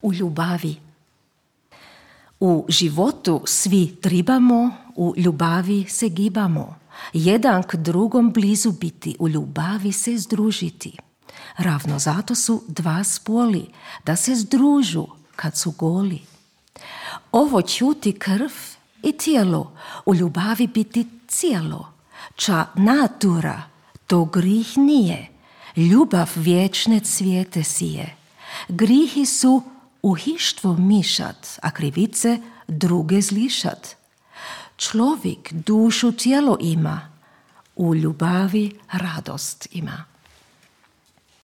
u ljubavi. U životu svi tribamo, u ljubavi se gibamo. Jedan k drugom blizu biti, u ljubavi se združiti. Ravno zato su dva spoli, da se združu kad su goli. Ovo čuti krv i tijelo, u ljubavi biti cijelo. Ča natura, to grih nije, ljubav vječne cvijete sije. Grihi su u hištvo mišat, a krivice druge zlišat. Človek dušu tijelo ima, u ljubavi radost ima.